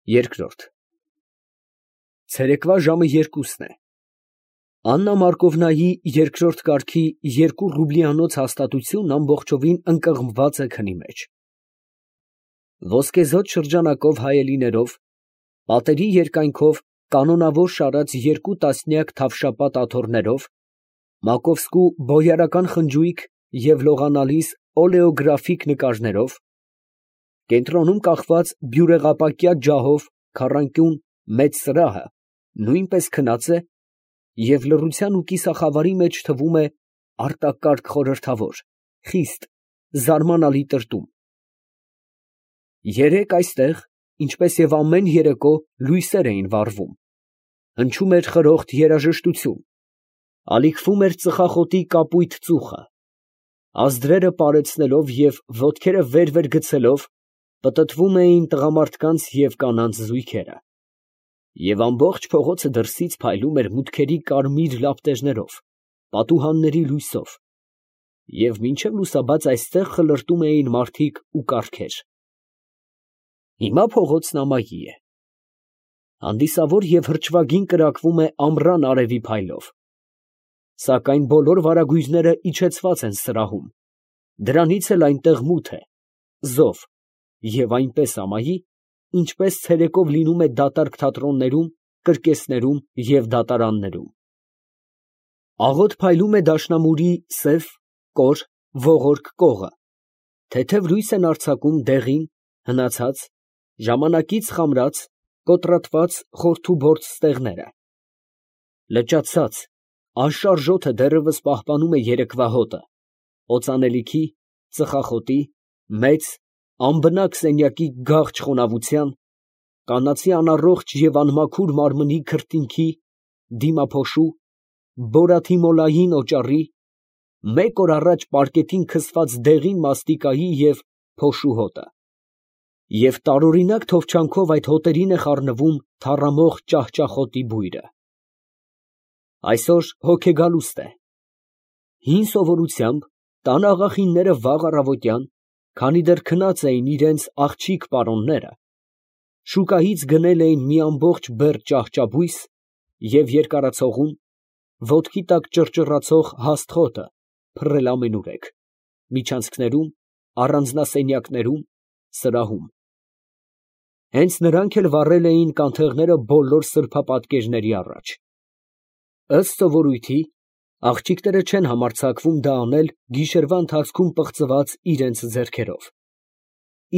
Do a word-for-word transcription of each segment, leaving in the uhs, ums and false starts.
Երկրորդ Ցերեկվա ժամը երկուսն է։ Աննա Մարկովնայի երկրորդ կարգի երկու ռուբլիանոց հաստատությունն ամբողջովին ընկղմված է քնի մեջ։ Ոսկեզօծ շրջանակով հայելիներով, պատերի երկայնքով կանոնավոր շարած երկու տասնյակ թավշապատ աթոռներով, Մակովսկու բոյարական խնջույք և լողանալիս օլեոգրաֆիկ նկարներով, կենտրոնում կախված բյուրեղապակյա ջահով քառանկյուն մեծ սրահը նույնպես քնած է և լռության ու կիսախավարի մեջ թվում է արտակարգ խորհրդավոր, խիստ, զարմանալի տրտում։ Երեկ այստեղ, ինչպես և ամեն երեկո, լույսեր էին վառվում, հնչում էր խրոխտ երաժշտություն, ալիքվում էր ծխախոտի կապույտ ծուխը, ազդրերը պարեցնելով և ոտքերը վեր֊վեր գցելով, պտտվում էին տղամարդկանց և կանանց զույգերը, և ամբողջ փողոցը դրսից փայլում էր մուտքերի կարմիր լապտերներով, պատուհանների լույսով, և մինչև լուսաբաց այստեղ խլրտում էին մարդիկ ու կառքեր։ Հիմա փողոցն ամայի է, հանդիսավոր և հրճվագին կրակվում է ամռան արևի փայլով, սակայն բոլոր վարագույրները իջեցված են սրահում, դրանից էլ այնտեղ մութ է, զով և այնպես ամայի, ինչպես ցերեկով լինում է դատարկ թատրոններում, կրկեսներում և դատարաններում։ Աղոտ փայլում է դաշնամուրի սև, կոր, ողորկ կողը, թեթև լույս են արձակում դեղին, հնացած, ժամանակից խամրած, կոտրատված խորթուբորդ ստեղները։ Լճացած, անշարժ օդը դեռևս պահպանում է երեկվա հոտը, օծանելիքի, ծխախոտի, մեծ, անբնակ սենյակի գաղջ խոնավության, կանացի անառողջ և անմաքուր մարմնի քրտինքի, դիմափոշու, բորաթիմոլային օճառի, մեկ օր առաջ պարկետին քսված դեղին մաստիկայի և փոշու հոտը, և տարօրինակ թովչանքով այդ հոտերին է խառնվում թառամող ճահճախոտի բույրը։ Այսօր հոգեգալուստ է։ Հին սովորությամբ տան աղախինները վաղ առավոտյան, քանի դեռ քնած էին իրանց աղջիկ պարոնները, շուկայից գնել էին մի ամբողջ բեռ ճահճաբույս և երկարացողուն, ոտքի տակ ճռճռացող հաստ խոտը փռել ամենուրեք, միջանցքներում, առանձնասենյակներում, սրահում։ Հենց նրանք էլ վառել էին կանթեղները բոլոր սրբապատկերների առաջ։ Ըստ սովորույթի, աղջիկները չեն համարձակվում դա անել գիշերվա ընթացքում պղծված իրանց ձեռքերով,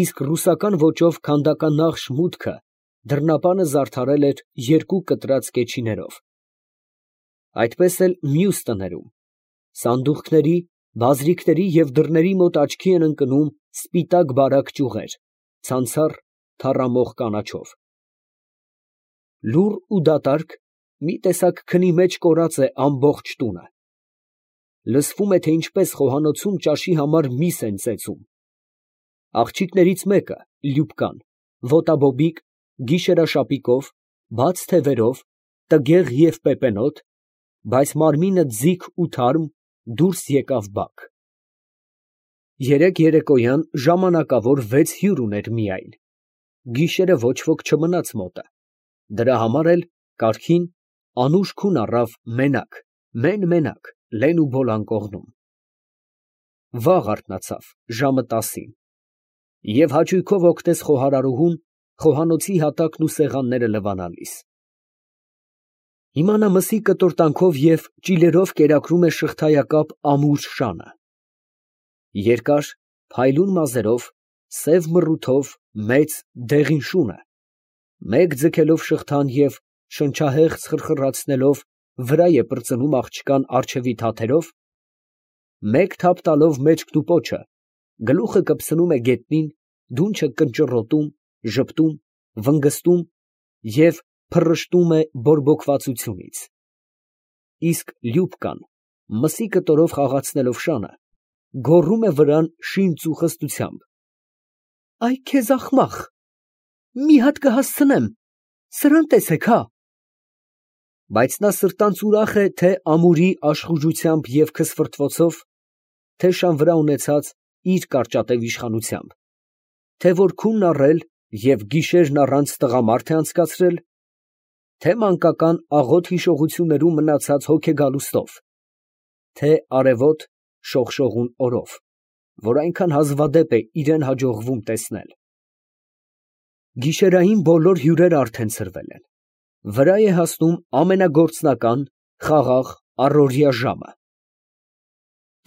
իսկ ռուսական ոճով քանդականախշ մուտքը դռնապանը զարդարել էր երկու կտրած կեչիներով։ Այդպես էլ մյուս տներում, սանդուղքների, բազրիքների և դռների մոտ աչքի են ընկնում սպիտակ բարակ ճյուղեր, ցանցառ, թառամող կանաչով։ Լուռ ու դատարկ, մի տեսակ քնի մեջ կորած է ամբողջ տունը։ Լսվում է, թե ինչպես խոհանոցում ճաշի համար միս են ծեծում։ Աղջիկներից մեկը, Լյուբկան, ոտաբոբիկ, գիշերաշապիկով, բաց թևերով, տգեղ և պեպենոտ, բայց մարմինը ձիգ ու թարմ, դուրս եկավ բակ։ Երեկ երեկոյան ժամանակավոր վեց հյուր ուներ միայն, գիշերը ոչ ոք չմնաց մոտը, դրա համար էլ կառքին, անուշ քուն առավ մենակ, մեն֊մենակ, լեն ու բոլան կողմում։ Վաղ արթնացավ, ժամը տասին, և հաճույքով օգնեց խոհարարուհուն խոհանոցի հատակն ու սեղանները լվանալիս։ Հիմա նա մսի կտորտանքով և ճիլերով կերակրում է շղթայակապ ամուր շանը։ Երկար, փայլուն մազերով, սև մռութով մեծ, դեղին շունը, մեկ ձգելով շղթան և շնչահեղձ խրխրացնելով վրա է պրծնում աղջկան առջևի թաթերով, մեկ թափ տալով մեջքն ու պոչը, գլուխը կպցնում է գետնին, դունչը կնճռոտում, ժպտում, վնգստում և փռշտում է բորբոքվածությունից, իսկ Լյուբկան, մսի կտորով խաղացնելով շանը, գոռում է վրան շինծ ու խստությամբ. «Այ քեզ ախմախ, մի հատ կհասցնեմ, սրան տեսեք, հա»։ Բայց նա սրտանց ուրախ է թե՛ ամուրի աշխուժությամբ և քսֆրտվոցով, թե՛ շան վրա ունեցած իր կարճատև իշխանությամբ, թե որ քունն առել և գիշերն առանց տղամարդ է անցկացրել, թե մանկական աղոտ հիշողություններում մնացած հոգեգալուստով, թե արևոտ շողշողուն օրով, որ այնքան հազվադեպ է իրան հաջողվում տեսնել։ Գիշերային բոլոր հյուրերը արդեն ցրվել են, վրա է հասնում ամենագործնական, խաղաղ առօրյա ժամը։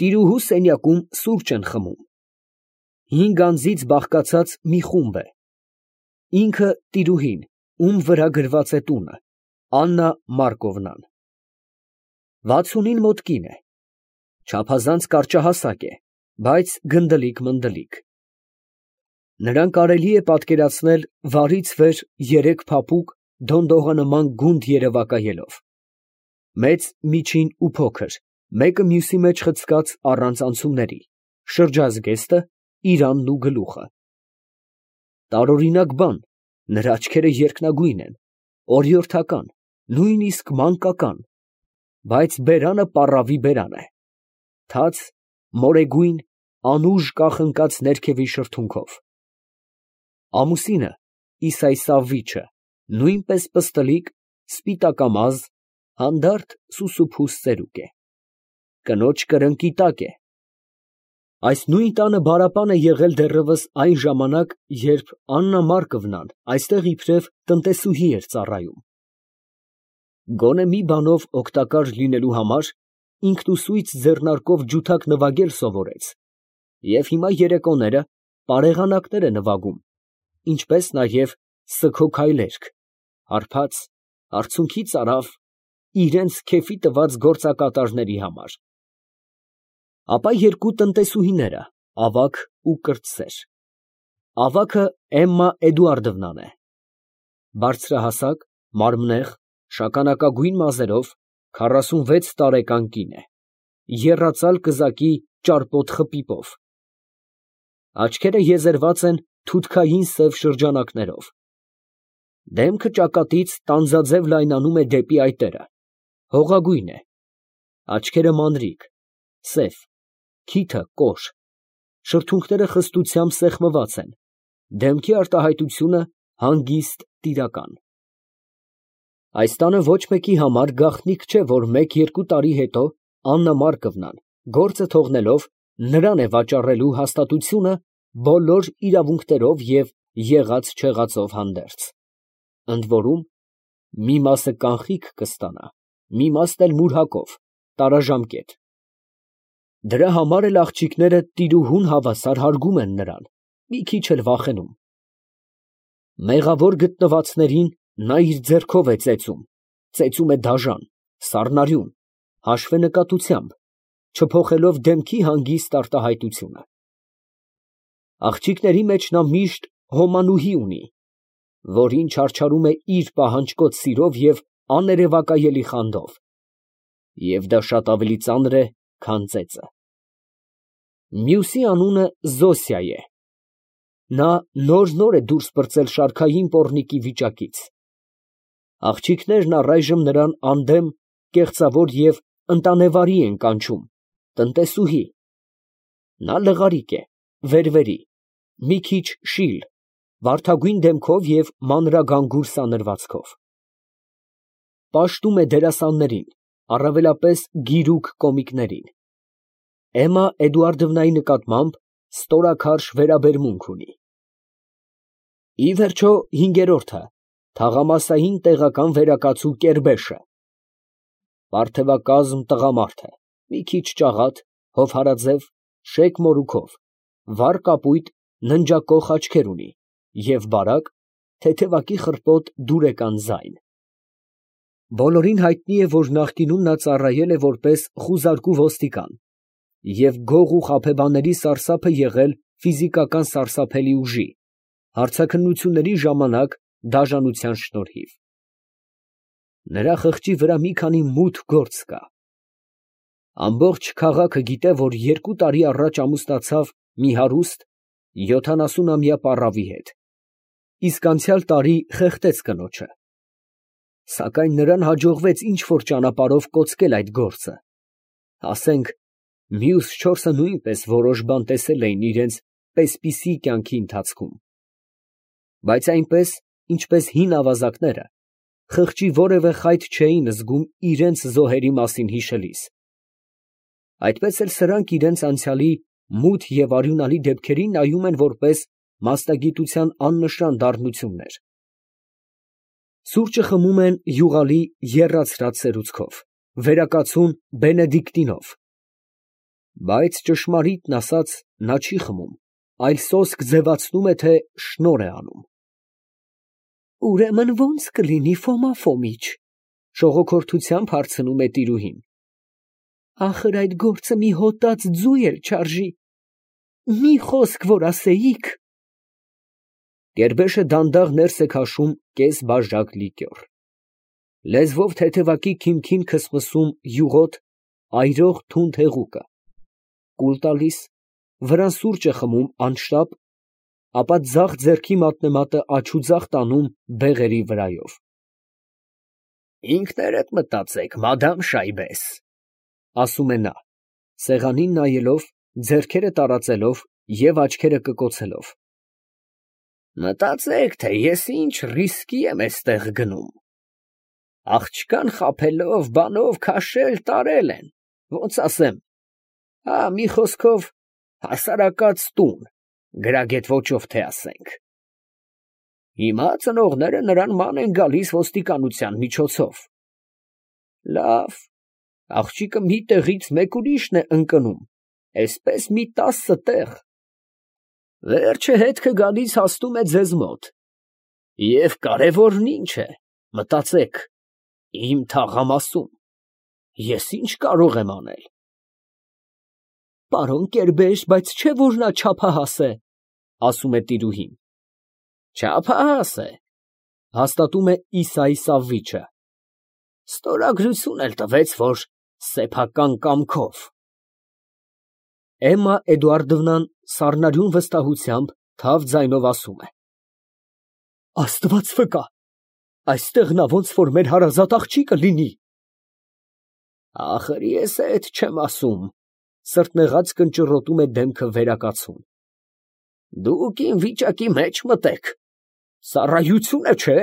Տիրուհու սենյակում սուրճ են խմում։ Հինգ անձից բաղկացած մի խումբ է, ինքը տիրուհին, ում վրա գրված է տունը, Աննա Մարկովնան։ Վաթսունին մոտ կին է, չափազանց կարճահասակ է, բայց գնդլիկ֊մնդլիկ։ Նրան կարելի է պատկերացնել վարից վեր երեք փափուկ, դոնդողանման գունդ երևակայելով, մեծ, միջին ու փոքր, մեկը մյուսի մեջ խցկած առանց անցումների, շրջազգեստը, իրանն ու գլուխը։ Տարօրինակ բան, նրա աչքերը երկնագույն են, օրիորդական, նույնիսկ մանկական, բայց բերանը պառավի բերան է, թաց, մորեգույն, անուժ կախնկած ներքևի շրթունքով։ Ամուսինը, Իսայսավիչը, նույնպես պստլիկ, սպիտակամազ, հանդարտ սուսուփուս ծերուկ է, կնոջ կրնկի տակ է։ Այս նույն տանը բարապան է եղել դեռևս այն ժամանակ, երբ Աննա Մարկովնան այստեղ իբրև տնտեսուհի էր ծառայում։ Գոնե մի բանով օգտակար լինելու համար ինքնուսույց ձեռնարկով ջութակ նվագել սովորեց և հիմա երեկոները պարեղանակներ է նվագում, ինչպես նաև սգո֊քայլերգ, հարբած, արցունքի ծարավ, իրենց քեֆի տված գործակատարների համար։ Ապա երկու տնտեսուհիները, ավագ ու կրտսեր։ Ավագը Էմմա Էդուարդովնան է, բարձրահասակ, մարմնեղ, շագանակագույն մազերով, քառասունվեց տարեկան կին է, եռածալ կզակի ճարպոտ խպիպով։ Աչքերը եզերված են թութքային սև շրջանակներով։ Դեմքը ճակատից տանձաձև լայնանում է դեպի այտերը, հողագույն է, աչքերը մանրիկ, սև, քիթը կոր, շրթունքները խստությամբ սեղմված են, դեմքի արտահայտությունը հանգիստ, տիրական։ Այս տանը ոչ մեկի համար գաղտնիք չէ, որ մեկ֊երկու տարի հետո Աննա Մարկովնան, գործը թողնելով, նրան է վաճառելու հաստատությունը բոլոր իրավունքներով և եղած֊չեղածով հանդերձ, ընդ որում, մի մասը կանխիկ կստանա, մի մասն էլ մուրհակով, տարաժամկետ։ Դրա համար էլ աղջիկները տիրուհուն հավասար հարգում են նրան, մի քիչ էլ վախենում։ Մեղավոր գտնվածներին նա իր ձեռքով է ծեծում, ծեծում է դաժան, սառնարյուն, հաշվենկատությամբ, չփոխելով դեմքի հանգիստ արտահայտությունը։ Աղջիկների մեջ նա միշտ հոմանուհի ունի, որին չարչարում է իր պահանջկոտ սիրով և աներևակայելի խանդով, և դա շատ ավելի ծանր է, քան ծեծը։ Մյուսի անունը Զոսիա է, նա նոր֊նոր է դուրս պրծել շարքային պոռնիկի վիճակից։ Աղջիկներն առայժմ նրան անդեմ, կեղծավոր և ընտանեվարի են կանչում, տնտեսուհի։ Նա լղարիկ է, վերվերի, մի քիչ շիլ, վարդագույն դեմքով և մանրագանգուր սանրվածքով։ Պաշտում է դերասաններին, առավելապես գիրուկ կոմիկներին։ Էմմա Էդուարդովնայի նկատմամբ ստորաքարշ վերաբերմունք ունի։ Ի վերջո, հինգերորդը, թաղամասային տեղական վերակացու Կերբեշը, պարթևակազմ տղամարդ է, մի քիչ ճաղատ, հովհարաձև, շեկ մորուքով, վառ կապույտ, ննջակոխ աչքեր ունի և բարակ, թեթևակի խրպոտ դուրեկան ձայն։ Բոլորին հայտնի է, որ նախկինում նա ծառայել է որպես խուզարկու ոստիկան և գող ու խաբեբաների սարսափը եղել ֆիզիկական սարսափելի ուժի, հարցաքննությունների ժամանակ դաժանության շնորհիվ։ Նրա խղճի վրա մի քանի մութ գործ կա։ Ամբողջ քաղաքը գիտե, որ երկու տարի առաջ ամուսնացավ մի հարուստ, յոթանասունամյա պառավի հետ, իսկ անցյալ տարի խեղդեց կնոջը, սակայն նրան հաջողվեց ինչ֊որ ճանապարհով կոծկել այդ գործը, ասենք, մյուս չորսը նույնպես որոշ բան տեսել էին իրենց պես֊պիսի կյանքի ընթացքում։ բայց այնպես, ինչպես հին ավազակները, խղճի որևէ խայտ չէին զգում իրենց զոհերի մասին հիշելիս. այդպես էլ սրանք իրենց անցյալի մութ և արյունալի դեպքերին նայում են որպես մասնագիտության աննշան դառնություններ. սուրճը խմում են յուղալի եռացրած սերուցքով, վերակացուն բենեդիկտինով, բայց ճշմարիտն ասած նա չի խմում, այլ սոսկ ձևացնում է, թե շնորհ է անում։ Ուրեմն ո՞նց կլինի, Ֆոմա Ֆոմիչ, շողոքորթությամբ հարցնում է տիրուհին։ Ախր այդ գործը մի հոտած ձու էլ չարժի, մի խոսք որ ասեիք։ Կերբեշը դանդաղ ներս է քաշում կես բաժակ լիկյոր, լեզվով թեթևակի քիմքին քսմսում յուղոտ, այրող թունդ հեղուկը, կուլ տալիս, վրան սուրճ է խմում անշտապ, ապա ձախ ձեռքի մատնեմատը աջուձախ տանում բեղերի վրայով։ Ինքներդ մտածեք, մադամ Շայբես, ասում է նա, սեղանին նայելով, ձեռքերը տարածելով և աչքերը կկոցելով։ Մտածեք, թե ես ինչ ռիսկի եմ էստեղ գնում։ Աղջկան խաբելով, բանով քաշել, տարել են, ոնց ասեմ, հա, մի խոսքով, հասարակած տուն, գրագետ ոճով թե ասենք։ Հիմա ծնողները նրան ման են գալիս ոստիկանության միջոցով։ Լավ, աղջիկը մի տեղից մեկ ուրիշն է ընկնում, էսպես մի տասը տեղ։ Վերջը հետքը գալիս հասնում է ձեզ մոտ։ Եվ կարևորն ինչ է, մտածեք, իմ թաղամասում, ես ինչ կարող եմ անել։ Պարոն Կերբեշ, բայց չէ որ նա չափահաս է, ասում է տիրուհին։ Չափահաս է, հաստատում է Իսայի Սավվիչը։ Ստորագրություն էլ տվեց, որ սեփական կամքով։ Էմմա Էդուարդովնան սառնարյուն վստահությամբ թավ ձայնով ասում է. Աստված վկա, այստեղ նա ոնց որ մեր հարազատ աղջիկը լինի։ Ախր ես էդ չեմ ասում, սրտնեղած կնճռոտում է դեմքը վերակացուն։ Դուք իմ վիճակի մեջ մտեք, ծառայություն է, չէ՞։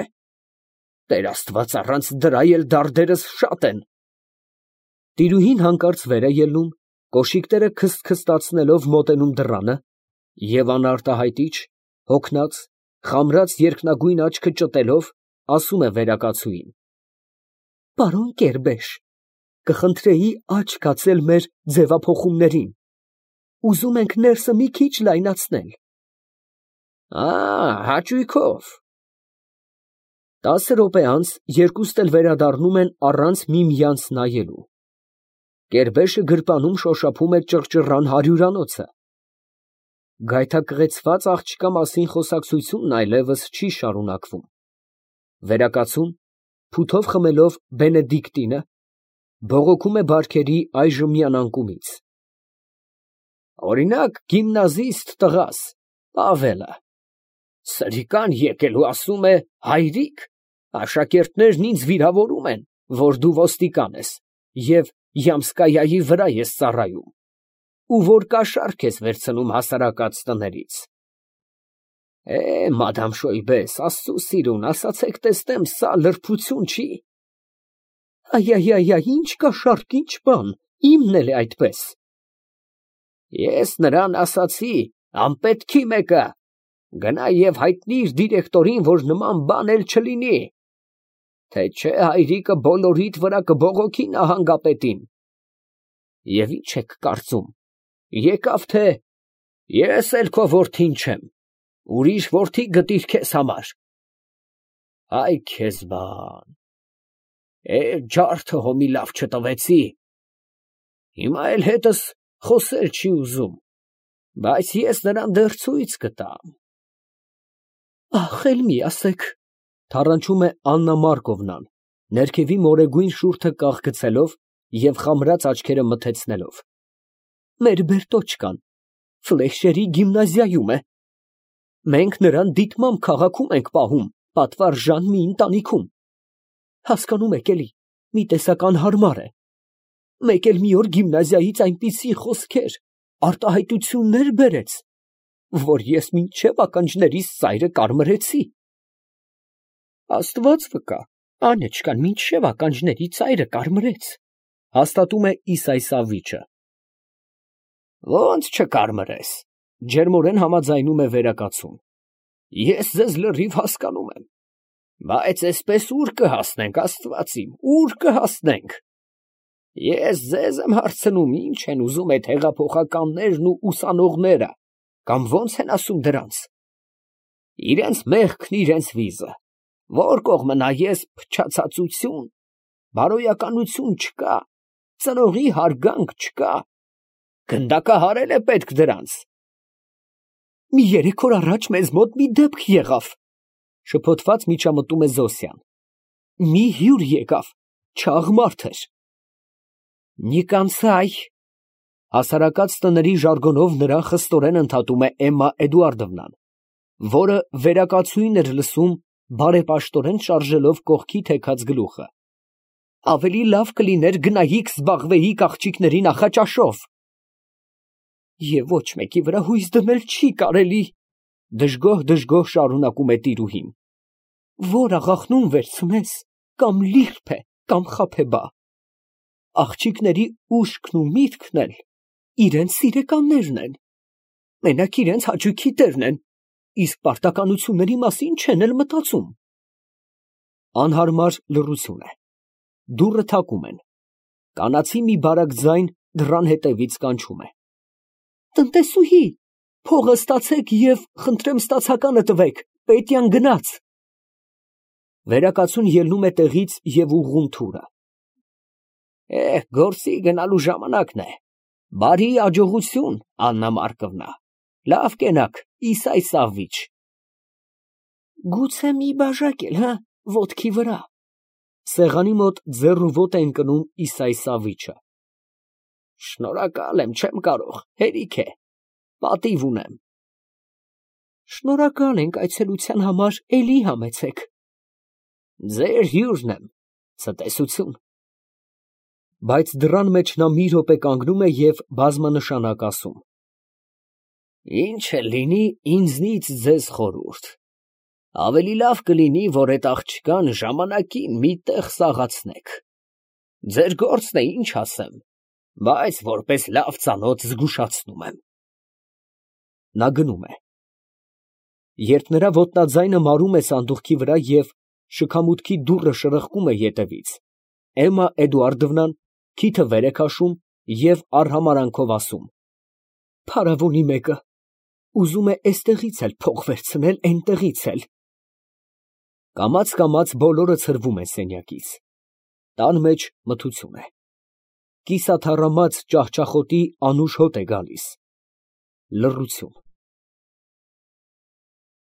Տեր Աստված, առանց դրա էլ դարդերս շատ են։ Տիրուհին հանկարծ վեր է ելնում, կոշիկները քսթքստացնելով մոտենում դռանը և անարտահայտիչ, հոգնած, խամրած երկնագույն աչքը ճտելով, ասում է վերակացուին. Պարոն Կերբեշ, կխնդրեի աչք հացել մեր ձևափոխումներին, ուզում ենք ներսը մի քիչ լայնացնել։ Ա, հաճույքով։ Տասը րոպե անց երկուստ էլ վերադառնում են առանց միմյանց նայելու։ Կերբեշը գրպանում շոշափում է ճռճռան հարյուրանոցը։ Գայթակղեցված աղջկա մասին խոսակցությունն այլևս չի շարունակվում։ Վերակացուն, փութով խմելով բենեդիկտինը, բողոքում է բարքերի այժմյան անկումից։ Օրինակ, գիմնազիստ տղաս, Պավելը, սրիկան եկել ու ասում է, հայրիկ, աշակերտներն ինձ վիրավորում են, որ դու ոստիկան ես և Յամսկայայի վրա ես ծառայում, ու որ կաշառք ես վերցնում հասարակած տներից։ Է, մադամ Շոյբես, աստծու սիրուն, ասացեք տեսնեմ, սա լրբություն չի։ Այ, ինչ կաշառք, ինչ բան, իմն էլ է այդպես։ Ես նրան ասացի, անպետքի մեկը, գնա և հայտնիր դիրեկտորին, որ նման բան էլ չլինի, թե չէ հայրիկը բոլորիդ վրա կբողոքի նահանգապետին։ Եվ ինչ եք կարծում, եկավ թե ես էլ քո որդին չեմ, ուրիշ որդի գտիր քեզ համար։ Այ քեզ բան, է, ջարդը հոմի լավ չտվեցի, հիմա էլ հետս խոսել չի ուզում, բայց ես նրան դեռ ցույց կտամ։ Ախ, էլ մի ասեք, թառանչում է Աննա Մարկովնան, ներքևի մորեգույն շուրթը կաղգցելով և խամրած աչքերը մթեցնելով։ Մեր Բերտոչկան Ֆլեշերի գիմնազիայում է։ Մենք նրան դիտմամբ քաղաքում ենք պահում, պատվարժան մի ընտանիքում։ Հասկանում եք էլի, մի տեսակ անհարմար է։ Մեկ էլ մի օր գիմնազիայից այնպիսի խոսքեր, արտահայտություններ բերեց, որ ես մինչև ականջներիս ծայրը կարմրեցի։ Աստված վկա, անեչքան մինչև ականջների ծայրը կարմրեց, հաստատում է Իսայսավիչը։ Ո՞նց չկարմրես, ջերմորեն համաձայնում է վերակացուն։ Ես ձեզ լրիվ հասկանում եմ, բայց այսպես ուր կհասնենք, Աստված իմ, ուր կհասնենք։ Ես ձեզ եմ հարցնում, ինչ են ուզում այդ հեղափոխականներն ու ուսանողները, կամ ո՞նց են ասում դրանց։ Իրենց մեղքն, իրենց վիզը, որ կողմը նայես փչացածություն, բարոյականություն չկա, ծնողի հարգանք չկա, գնդակահարել է պետք դրանց։ Մի երեք օր առաջ մեզ մոտ մի դեպք եղավ, շփոթված միջամտում է Զոսյան։ Մի հյուր եկավ, չաղ մարդ էր։ Նիկանցայ, հասարակած տների ժարգոնով նրան խստորեն ընդհատում է Էմմա Էդուարդովնան, որը վերակացույն էր լսում, բարեպաշտորեն շարժելով կողքի թեքած գլուխը։ Ավելի լավ կլիներ գնայիք զբաղվեիք աղջիկների նախաճաշով։ Եվ ոչ մեկի վրա հույս դնել չի կարելի, դժգոհ-դժգոհ շարունակում է տիրուհին։ Որ աղախնուն վերցնես, կամ լիրբ է, կամ խաբեբա։ Աղջիկների ուշքն ու միտքն էլ իրենց սիրեկաններն են, մենակ իրենց հաճույքի տերն են, իսկ պարտականությունների մասին չեն էլ մտածում։ Անհարմար լռություն է։ Դուռը թակում են։ Կանացի մի բարակ ձայն դռան հետևից կանչում է։ Տնտեսուհի, փողը ստացեք և խնդրեմ ստացականը տվեք, պետյան գնաց։ Վերակացուն ելնում է տեղից և ուղղում թուրը։ Էհ, գործի գնալու ժամանակն է։ Բարի աջողություն, Աննա Մարկովնա, լավ կենաք, Իսայսավիչ։ Գուցե մի բաժակ էլ, հա, ոտքի վրա։ Սեղանի մոտ ձեռ ու ոտ է ընկնում Իսայսավիչը։ Շնորհակալ եմ, չեմ կարող, հերիք է, պատիվ ունեմ։ Շնորհակալ ենք այցելության համար, էլի համեցեք։ Ձեր հյուրն եմ, ցտեսություն։ Բայց դռան մեջ նա մի րոպե կանգնում է և բազմանշանակ ասում. Ինչ էլ լինի, ինձնից ձեզ խորհուրդ, ավելի լավ կլինի, որ այդ աղջկան ժամանակին մի տեղ սաղացնեք։ Ձեր գործն է, ինչ ասեմ, բայց որպես լավ ծանոթ զգուշացնում եմ։ Նա գնում է։ Երբ նրա ոտնաձայնը մարում է սանդուղքի վրա և շքամուտքի դուռը շրխկում է ետևից, Էմմա Էդուարդովնան քիթը վեր է քաշում և արհամարանքով ասում. Փարավոնի մեկը ուզում է էստեղից էլ փող վերցնել, էնտեղից էլ։ Կամաց֊կամաց բոլորը ցրվում են սենյակից։ Տան մեջ մթություն է։ Կիսաթառամած ճահճախոտի անուշ հոտ է գալիս։ Լռություն։